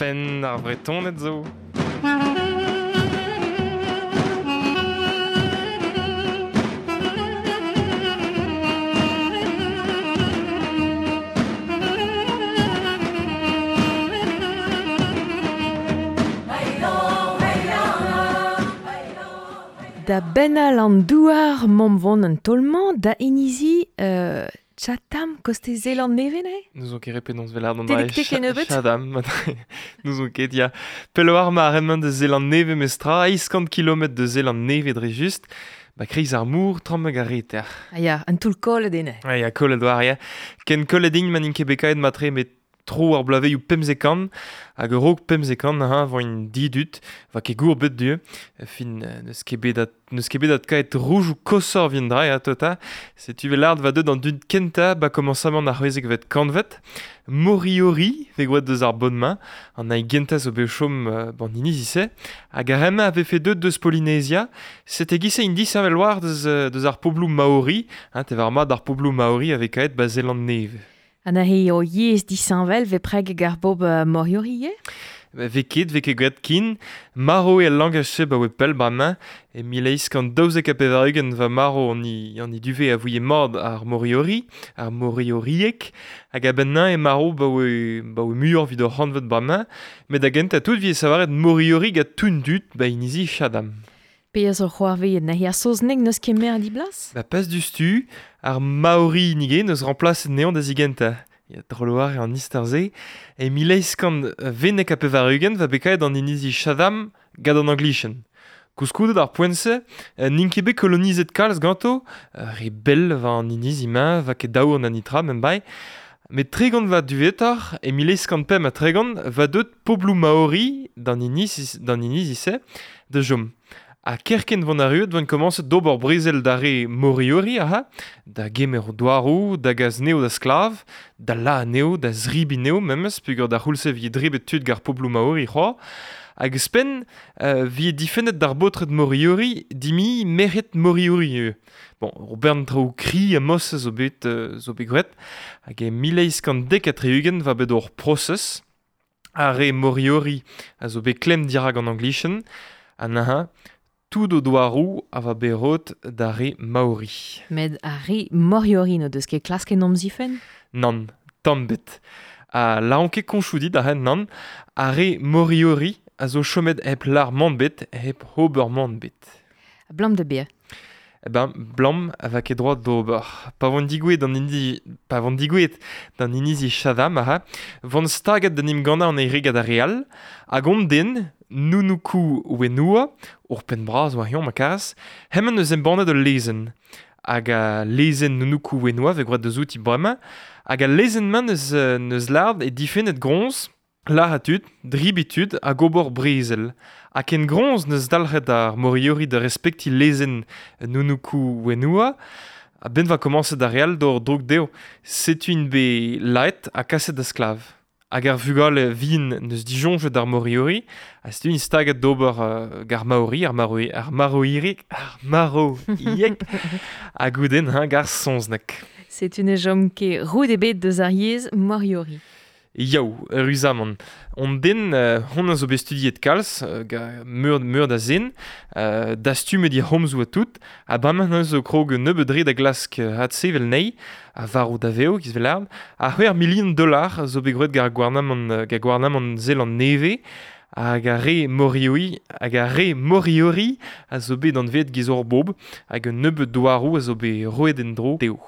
Penn ar Vretoned zo. Da bennal an douar m'omp vont an tolmañ da inizi Chatham, koste Zeland neve ne? Nous on ket penaos vel ar d'an Telektek en nebeut? Chatham, nous on ket, ya. Pelloar ma ar de Zeland neve mestra, 800 km de Zeland neve dre just, ba kreiz ar mour, trammeg ar reter. Ah ya, an toull kollet ene. Ah ya, kollet war, ya. Ken kollet int ma n'int ket bekaet matre met tro ar blaveioù pemzekan, hag ur raok pemzekan, ha, voint didut, va ket gour bet du, fin neus ket bet at, neus ket bet at kaet rouge ou kosor vien dra, ya, tota. Setu vel ard va deut an dud kenta ba komansamant ar c'hwezek vet kanvet, Moriori, ve gwad deus ar bon main, an ai genta zo bet chom ban inizi se, hag ar ema ave fait deut deus Polynesia, sete gise indi savel war deus, deus ar poblou Maori, hein, te var mat ar poblou Maori ave kaet ba Zeland neve. An a o yez disanvel ve preg gar bob Moriori e? Ve ket, ve ket gwet kin, maro e langaj se ba oe pell bremañ, e mil kant daouzek ha pevar-ugent va maro an i duve a vouie mord ar Moriori, ar Morioriek, hag a-benn e maro ba oe muioc'h vid ur c'hantvet bremañ, met da gentañ tout vi e savaret Moriori gant toun dud ba inizi Chatham. Pe a zo c'hoarveet nahi ar saozneg neus ket mer di blas? Ba pas du stu, ar Maori nige neus remplace neon da zigenta. Ya droloar e an istor-se, e mil eizh kant vennek ha pevar-ugent va bekaet an inizi Chatham gant an Anglichen. Koulskoude d'ar poent-se, n'int ket bet kolonizet kalz ganto, re bell va an inizi ma, va ket daour an anitra mem bai. Met tregont va duvetoc'h, e mil eizh kant pemp ha tregont, va deut poblou Maori d'an inizi-se da jom. Ha kerkent vont arruet vont komañset d'ober brezel da re Moriori aha, da gemer o douaroù, da gas neo da sklav, da la neo, da zribi neo memes, peogwir da c'houlse vi dribet tud gar poblou Maori c'hoa. Hag spen vi difennet d'ar baotred Moriori dimi merc'hed Moriori eo. Bon, ur bern traoù kri ha mos zo bet gwraet. Hag e mil eizh kant dek ha tri-ugent va bet ur prosez. Ar re Moriori a zo bet klemm dirak an Anglichen, ha neuze, tout o douaroù a va bet da re Maori. Met ar re Moriori no deus ket klasket nom zifen? Nann, tamm bet. Ha la on ket koñchoù dit ar nann, ar re Moriori a zo chomet hep lar man bet, hep ober man bet. Blam da beer. Eh ben, blam a va ket droit d'ober. Pa vont digouet d'an inizi Chatham, aha, vont staget d'an imgana an eire gant ar re all, hag on den, Nunuku Whenua, ur penn bras war ma karas, hemañ eus embannet ul lezenn. Hag a lezenn Nunuku Whenua ve gwraet deus outi bremañ, hag a lezenn-mañ neus lard e difennet groñs, lar a tud, dribi tud hag ober brezel. Ha ken groñs neus dalc'het ar Moriori da respekti lezenn Nunuku Whenua, a benn va komañset ar re all d'or droug dezho. Setu int bet laet ha kaset da sklav. Hag ar vugale vin neus dijoñjet ar Moriori, ha setu int staget d'ober gar Maori, ar Maroiek, hag goudenn gar Saozneg. Setu ne chom ket roud ebet deus ar yezh Moriori. Yaou, ruzamant. On den, hon a zo bet studiet kalz, meur da zen, dastumet di c'homzoù a tout, ha bremañ neus zo krog nebeut dre da glask adsevel nei, a varv da veo, giz vel ard, ha c'hwec'h milion dollar zo bet gwraet gar gouarnamant Zeland Nevez, hag ar re Moriori, a zo bet anvet giz ur bob, hag un nebeut douaroù a zo bet roet en-dro dezho.